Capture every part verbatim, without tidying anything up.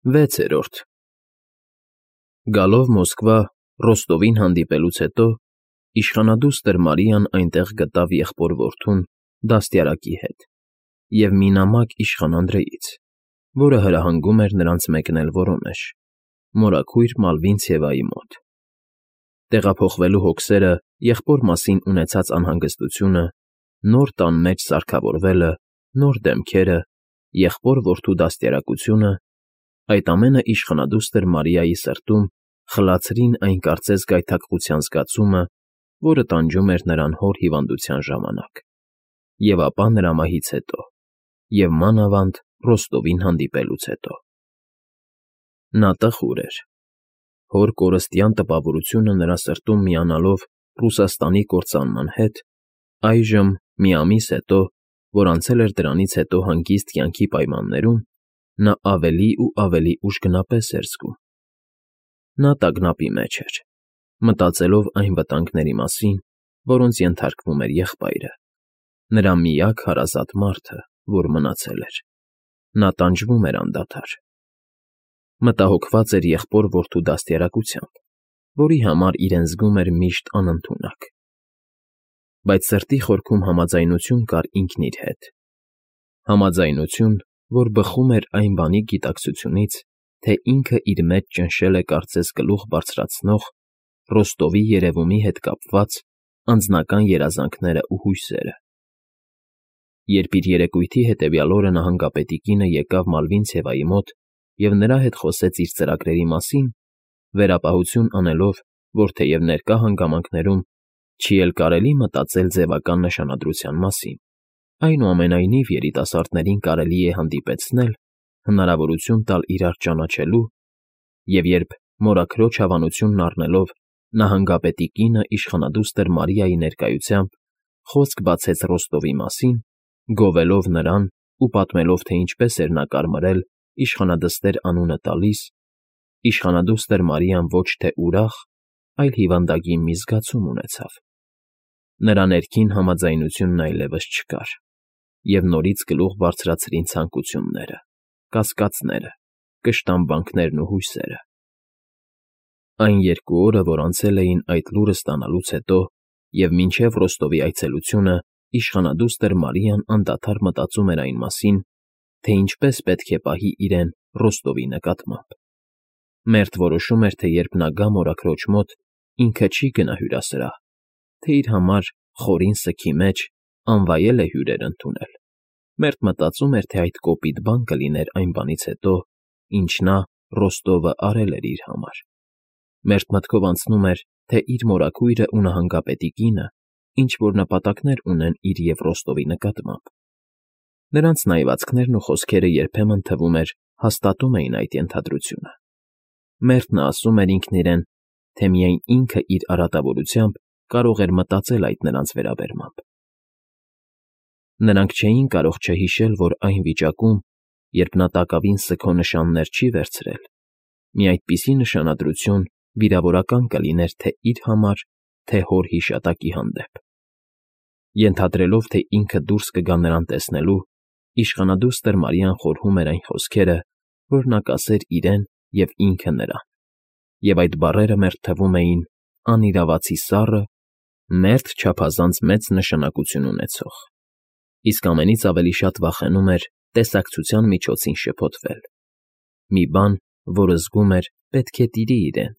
Վեցերորդ Գալով Մոսկվա Ռոստովին հանդիպելուց հետո իշխանադուստր Մարիան այնտեղ գտավ եղբոր֊որդուն դաստիարակի հետ և մի նամակ իշխան Անդրեից, որը հրահանգում էր նրանց մեկնել Վորոնեժ, մորաքույր Մալվինցևայի մոտ։ Տեղափոխվելու հոգսերը, եղբոր մասին ունեցած անհանգստությունը, նոր տան մեջ սարքավորվելը, նոր դեմքերը, եղբոր֊որդու դաստիարակությունը, այդ ամենը իշխանադուստր Մարիայի սրտում խլացրին այն կարծես գայթակղության զգացումը, որը տանջում էր նրան հոր հիվանդության ժամանակ, և ապա նրա մահից հետո, և մանավանդ Ռոստովին հանդիպելուց հետո։ Նա տխուր էր։ Հոր կորստյան տպավորությունը նրա սրտում միանալով Ռուսաստանի կործանման հետ, այժմ, մի ամիս հետո, որ անցել էր դրանից հետո հանգիստ կյանքի պայմաններում, նա ավելի ու ավելի ուժգնապես էր զգում։ Նա տագնապի մեջ էր, մտածելով այն վտանգների մասին, որոնց ենթարկվում էր եղբայրը, նրա միակ հարազատ մարդը, որ մնացել էր։ Նա տանջվում էր անդադար։ Մտահոգված էր եղբոր֊որդու դաստիարակությամբ, որի համար իրեն զգում էր միշտ անընդունակ։ Բայց սրտի խորքում համաձայնություն կար ինքն իր հետ, համաձայնություն, որ բխում էր այն բանի գիտակցությունից, թե ինքը իր մեջ ճնշել է կարծես գլուխ բարձրացնող, Ռոստովի երևումի հետ կապված անձնական երազանքներն ու հույսերը։ Երբ իր երեկույթի հետևյալ օրը նահանգապետի կինը եկավ Մալվինցևայի մոտ և նրա հետ խոսեց իր ծրագրերի մասին, վերապահություն անելով, որ թեև ներկա հանգամանքներում չի էլ կարելի մտածել ձևական նշանադրության մասին, այնուամենայնիվ երիտասարդներին կարելի է հանդիպեցնել, հնարավորություն տալ իրար ճանաչելու, և երբ մորաքրոջ հավանությունն առնելով նահանգապետի կինը իշխանադուստր Մարիայի ներկայությամբ խոսք բացեց Ռոստովի մասին, գովելով նրան ու պատմելով, թե ինչպես էր նա կարմրել իշխանադստեր անունը տալիս, իշխանադուստր Մարիան ոչ թե ուրախ, այլ հիվանդագին մի զգացում ունեցավ։ Նրա ներքին համաձայնությունն այլևս չկար, և նորից գլուխ բարձրացրին ցանկությունները, կասկածները, կշտամբանքներն ու հույսերը։ Այն երկու օրը, որ անցել էին այդ լուրը ստանալուց հետո, և մինչև Ռոստովի այցելությունը, իշխանադուստր Մարիան անդադար մտածում էր այն մասին, թե ինչպես պետք է պահի իրեն Ռոստովի նկատմամբ։ Մերթ որոշում էր, թե երբ նա գա մորաքրոջ մոտ, ինքը չի գնա հյուրասրահ, թե իր համար, խորին սգի մեջ, անվայել է հյուրեր ընդունել, մերթ մտածում էր, թե այդ կոպիտ բան կլիներ այն բանից հետո, ինչ նա, Ռոստովը, արել էր իր համար, մերթ մտքով անցնում էր, թե իր մորաքույրը ու նահանգապետի կինը ինչ֊որ նպատակներ ունեն իր և Ռոստովի նկատմամբ։ Նրանց նայվածքներն ու խոսքերը երբեմն, թվում էր, հաստատում էին այդ ենթադրությունը։ Մերթ նա ասում էր ինքն իրեն, թե միայն ինքը իր արատավորությամբ կարող էր մտածել այդ նրանց վերաբերմամբ։ Նրանք չէին կարող չհիշել, որ այն վիճակում, երբ նա տակավին սգո նշաններ չի վերցրել, մի այդպիսի նշանադրություն վիրավորական կլիներ թե իր համար, թե հոր հիշատակի հանդեպ։ Ենթադրելով, թե ինքը դուրս կգա նրան տեսնելու, իշխանադուստր Մարիան խորհում էր այն խոսքերը, որ նա կասեր իրեն և ինքը նրան, և այդ բառերը մերթ թվում էին անիրավացի սառը, մերթ չափազանց մեծ նշանակություն ունեցող, իսկ ամենից ավելի շատ վախենում էր տեսակցության միջոցին շփոթվել, մի բան, որը զգում էր, պետք է տիրի իրեն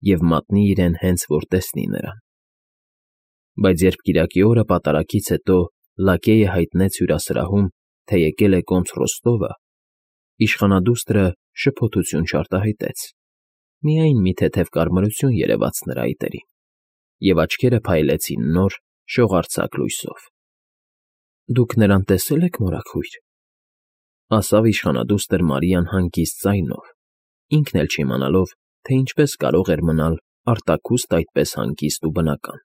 և մատնի իրեն հենց որ տեսնի նրան։ Բայց երբ կիրակի օրը պատարագից հետո լակեյը հայտնեց հյուրասրահում, թե եկել է կոնց Ռոստովը, իշխանադուստրը շփոթություն չարտահայտեց, միայն մի թեթև կարմրություն երևաց նրա այտերին, և աչքերը փայլեցին նոր, շողարձակ լույսով։ ֊ Դուք նրան տեսե՞լ եք, մորաքույր,֊ ասավ իշխանադուստր Մարիան հանգիստ ձայնով, ինքն էլ չիմանալով, թե ինչպես կարող էր մնալ արտաքուստ այդպես հանգիստ ու բնական։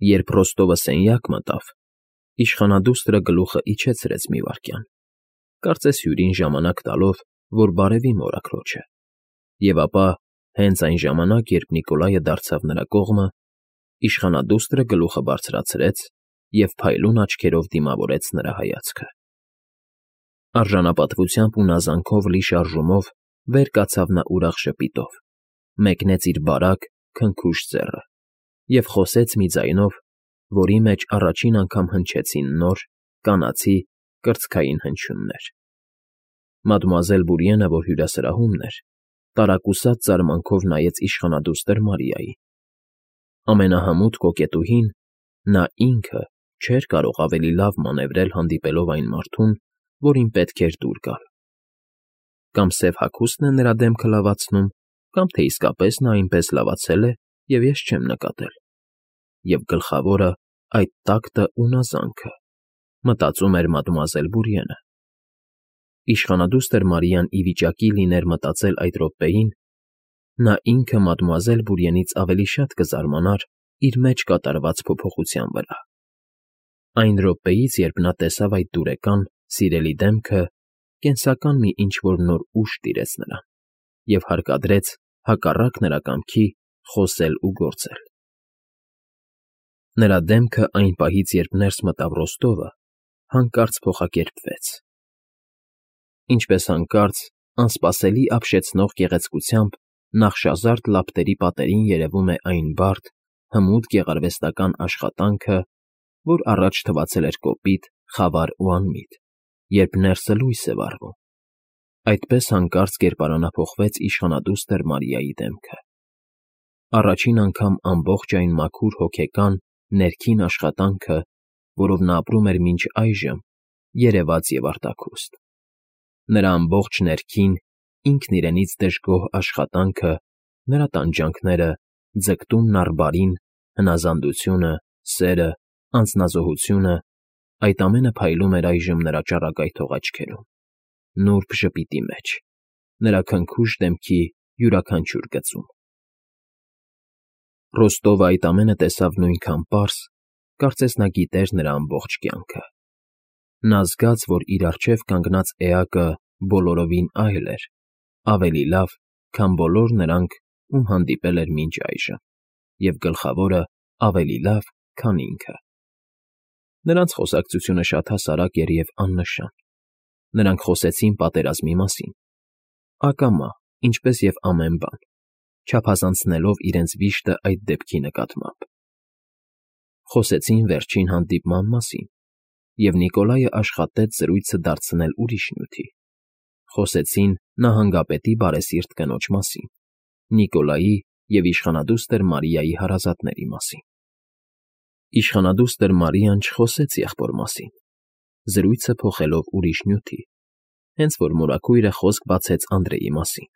Երբ Ռոստովը սենյակ մտավ, իշխանադուստրը գլուխը իջեցրեց մի վայրկյան, կարծես հյուրին ժամանակ տալով, որ բարևի մորաքրոջը, և ապա, հենց այն ժամանակ, երբ Նիկոլայը դարձավ նրա կողմը, իշխանադուստրը գլուխը բարձրացրեց և փայլուն աչքերով դիմավորեց նրա հայացքը։ Արժանապատվությամբ ու նազանքով լի շարժումով վեր կացավ նա ուրախ ժպիտով, մեկնեց իր բարակ, քնքուշ ձեռը և խոսեց մի ձայնով, որի մեջ առաջին անգամ հնչեցին նոր, կանացի, կրծքային հնչյուններ։ Մադմուազել Բուրիենը, որ հյուրասրահումն էր, տարակուսած զարմանքով նայեց իշխանադուստր Մարիային։ Ամենահմուտ կոկետուհին, նա ինքը, չէր կարող ավելի լավ մանևրել հանդիպելով այն մարդուն, որին պետք էր դուր գալ։ Կամ սև հագուստն է նրա դեմքը լավացնում, կամ թե իսկապես նա այնպես լավացել է, և ես չեմ նկատել։ Եվ գլխավորը այդ տակտը ու նազանքը, մտածում էր մադմուազել Բուրիենը։ Իշխանադուստր Մարիան ի վիճակի լիներ մտածել այդ րոպեին, նա ինքը մադմուազել Բուրիենից ավելի շատ կզարմանար իր մեջ կատարված փոփոխության վրա։ Այն րոպեից, երբ նա տեսավ այդ դուրեկան, սիրելի դեմքը, կենսական մի ինչ֊որ նոր ուժ տիրեց նրան և հարկադրեց, հակառակ նրա կամքի, խոսել ու գործել։ Նրա դեմքը այն պահից, երբ ներս մտավ Ռոստովը, հանկարծ փոխակերպվեց։ Ինչպես հանկարծ, անսպասելի ապշեցնող գեղեցկությամբ նախշազարդ լապտերի պատերին երևում է այն բարդ, հմուտ գեղարվեստական աշխատանքը, որ առաջ թվացել էր կոպիտ, խավար ու անմիտ, երբ ներսը լույս է վառվում, այդպես հանկարծ կերպարանափոխվեց իշխանադուստր Մարիայի դեմքը։ Առաջին անգամ ամբողջ այն մաքուր հոգեկան, ներքին աշխատանքը, որով նա ապրում էր մինչ այժմ, երևաց և արտաքուստ։ Նրա ամբողջ ներքին, ինքն իրենից դժգոհ աշխատանքը, նրա տանջանքները, ձգտումն առ բարին, հնազանդությունը, սերը, անձնազոհությունը, այդ ամենը փայլում էր այժմ նրա ճառագայթող աչքերում, նուրբ ժպիտի մեջ, նրա քնքուշ դեմքի յուրաքանչյուր գծում։ Ռոստովը այդ ամենը տեսավ նույնքան պարզ, կարծես նա գիտեր նրա ամբողջ կյանքը։ Նա զգաց, որ իր առջև կանգնած էակը բոլորովին այլ էր, ավելի լավ, քան բոլոր նրանք, ում հանդիպել էր մինչ այժմ, և գլխավորը ավելի լավ, քան ինքը։ Նրանց խոսակցությունը շատ հասարակ էր և աննշան։ Նրանք խոսեցին պատերազմի մասին, ակամա, ինչպես և ամեն բան, չափազանցնելով իրենց վիշտը այդ դեպքի նկատմամբ։ Խոսեցին վերջին հանդիպման մասին, և Նիկոլայը աշխատեց զրույցը դարձնել ուրիշ նյութի։ Խոսեցին նահանգապետի բարեսիրտ կնոջ մասին, Նիկոլայի և իշխանադուստր Մարիայի հարազատների մասին։ Իշխանադուստր Մարիան չխոսեց եղբոր մասին, զրույցը փոխելով ուրիշ նյութի, հենց որ մորաքույրը խոսք բացեց Անդրեի մասին։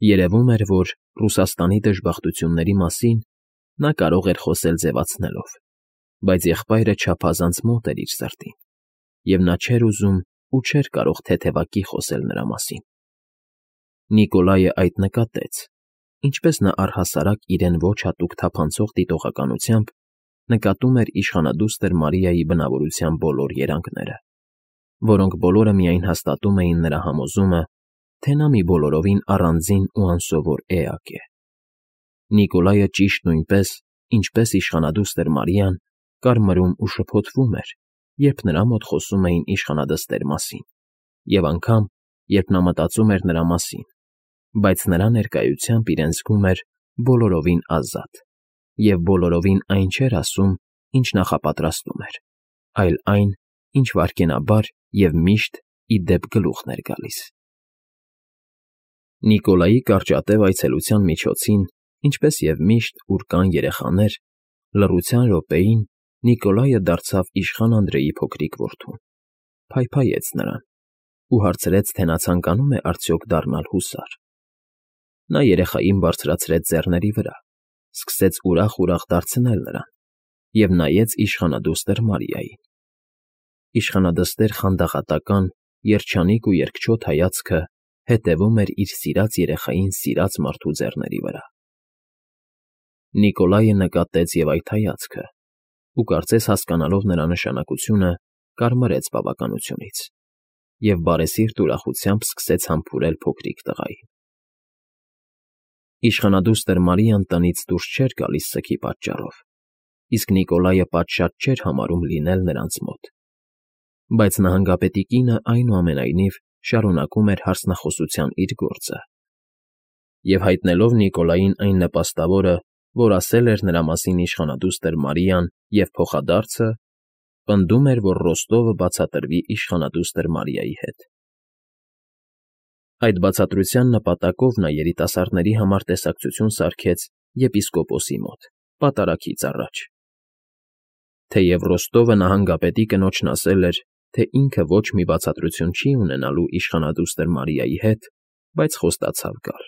Երևում էր, որ Ռուսաստանի դժբախտությունների մասին նա կարող էր խոսել ձևացնելով, բայց եղբայրը չափազանց մոտ էր իր սրտին, և նա չէր ուզում ու չէր կարող թեթևակի խոսել նրա մասին։ Նիկոլայը այդ նկատեց, ինչպես նա առհասարակ իրեն ոչ հատուկ թափանցող դիտողականությամբ նկատում էր իշխանադուստր Մարիայի բնավորության բոլոր երանգները, որոնք բոլորը միայն հաստատում էին նրա համոզումը, թե նա մի բոլորովին առանձին ու անսովոր էակ է։ Նիկոլայը ճիշտ նույնպես, ինչպես իշխանադուստր Մարիան, կարմրում ու շփոթվում էր, երբ նրա մոտ խոսում էին իշխանադստեր մասին, և անգամ, երբ նա մտածում էր նրա մասին, բայց նրա ներկայությամբ իրեն զգում էր բոլորովին ազատ, և բոլորովին այն չէր ասում, ինչ նախապատրաստում էր, այլ այն, ինչ վայրկենաբար և միշտ ի դեպ գլուխն էր գալիս։ Նիկոլայի կարճատև այցելության միջոցին, ինչպես և միշտ, ուր կան երեխաներ, լռության րոպեին Նիկոլայը դարձավ իշխան Անդրեի փոքրիկ որդուն, փայփայեց նրան ու հարցրեց, թե նա ցանկանում է արդյոք դառնալ հուսար։ Նա երեխային բարձրացրեց ձեռների վրա, սկսեց ուրախ֊ուրախ դարձնել նրան և նայեց իշխանադուստր Մարիային։ Իշխանադստեր խանդաղատական, երջանիկ ու երկչոտ հայացքը հետևում էր իր սիրած երեխային սիրած մարդու ձեռների վրա։ Նիկոլայը նկատեց և այդ հայացքը ու, կարծես հասկանալով նրա նշանակությունը, կարմրեց բավականությունից և բարեսիրտ ուրախությամբ սկսեց համբուրել փոքրիկ տղային։ Իշխանադուստր Մարիան տնից դուրս չէր գալիս սգի պատճառով, իսկ Նիկոլայը պատշաճ չէր համարում լինել նրանց մոտ։ Բայց նահանգապետի կինը, այնուամենայնիվ, շարունակում էր հարցնախոսության իր գործը, և հայտնելով Նիկոլային այն նպաստավորը, որ ասել էր նրա մասին իշխանադուստր Մարիան և փոխադարձը, պնդում էր, որ Ռոստովը բացատրվի իշխանադուստր Մարիայի հետ։ Այդ բացատրության նպատակով նա երիտասարդների համար տեսակցություն սարքեց եպիսկոպոսի մոտ, պատարագից առաջ։ Թեև Ռոստովը նահանգապետի կնոջն ասել էր, թե ինքը ոչ մի բացատրություն չի ունենալու իշխանադուստր Մարիայի հետ, բայց խոստացավ գալ։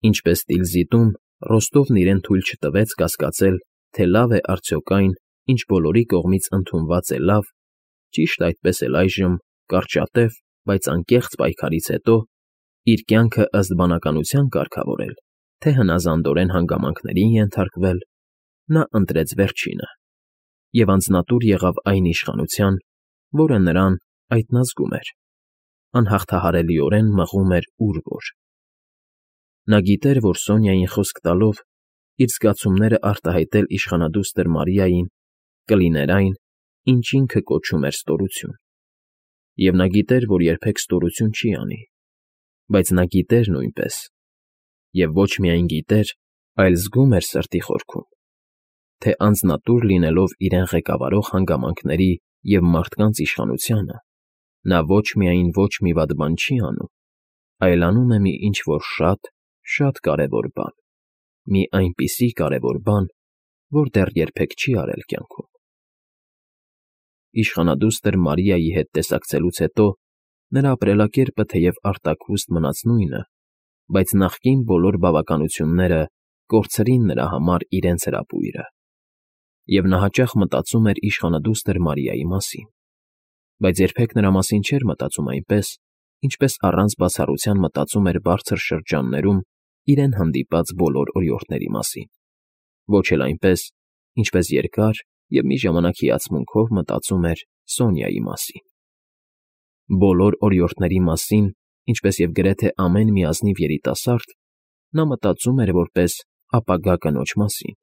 Ինչպես տիլզիտում, Ռոստովն իրեն թույլ չտվեց կասկածել, թե լավ է արդյոք այն, ինչ բոլորի կողմից ընդունված է լավ, ճիշտ այդպես էլ այժմ, կարճատև, բայց անկեղծ պայքարից հետո, իր կյանքը ըստ բանականության կարգավորել, թե հնազանդորեն հանգամանքներին ենթարկվել, նա ընտրեց վերջինը և անձնատուր եղավ այն իշխանության, որը նրան, այդ նա զգում էր, անհաղթահարելիորեն մղում էր ուր որ։ Նա գիտեր, որ Սոնյային խոսք տալով, իր զգացումները արտահայտել իշխանադուստր Մարիային կլիներ այն, ինչ ինքը կոչում էր ստորություն, և նա գիտեր, որ երբեք ստորություն չի անի, բայց նա գիտեր նույնպես, և ոչ միայն գիտեր, այլ զգում էր սրտի խորքում, թե անձնատուր լինելով իրեն ղեկավարող հանգամանքների և մարդկանց իշխանությանը, նա ոչ միայն ոչ մի վատ բան չի անում, այլ անում է մի ինչ֊որ շատ, շատ կարևոր բան, մի այնպիսի կարևոր բան, որ դեռ երբեք չի արել կյանքում։ Իշխանադուստր Մարիայի հետ տեսակցելուց հետո նրա ապրելակերպը թեև արտաքուստ մնաց նույնը, բայց նախկին բոլոր բավականությունները կորցրին նրա համար իրենց հրապույրը, և նա հաճախ մտածում էր իշխանադուստր Մարիայի մասին, բայց երբեք նրա մասին չէր մտածում այնպես, ինչպես առանց բացառության մտածում էր բարձր շրջաններում իրեն հանդիպած բոլոր օրիորդների մասին, ոչ էլ այնպես, ինչպես երկար և մի ժամանակ հիացմունքով մտածում էր Սոնյայի մասին։ Բոլոր օրիորդների մասին, ինչպես և գրեթե ամեն մի ազնիվ երիտասարդ, նա մտածում էր որպես ապագա կնոջ մասին։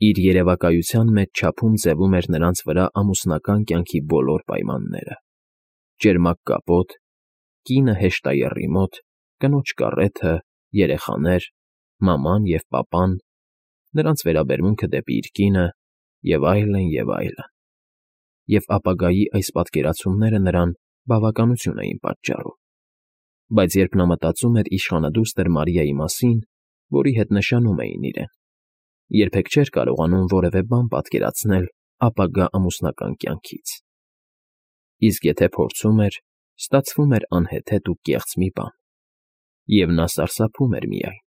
Իր երևակայության մեջ չափում ձևում էր նրանց վրա ամուսնական կյանքի բոլոր պայմանները. ճերմակ կապոտ, կինը հեշտաեռի մոտ, կնոջ կառեթը, երեխաներ, մաման և պապան, նրանց վերաբերմունքը դեպի իր կինը և այլն, և այլն, և ապագայի այս պատկերացումները նրան բավականություն էին պատճառում, բայց երբ նա մտածում էր իշխանադուստր Մարիայի մասին, որի հետ նշանում էին իրեն, երբեք չէր կարողանում որևէ բան պատկերացնել ապագա ամուսնական կյանքից, իսկ եթե փորձում էր, ստացվում էր անհեթեթ ու կեղծ մի բան, և նա սարսափում էր միայն։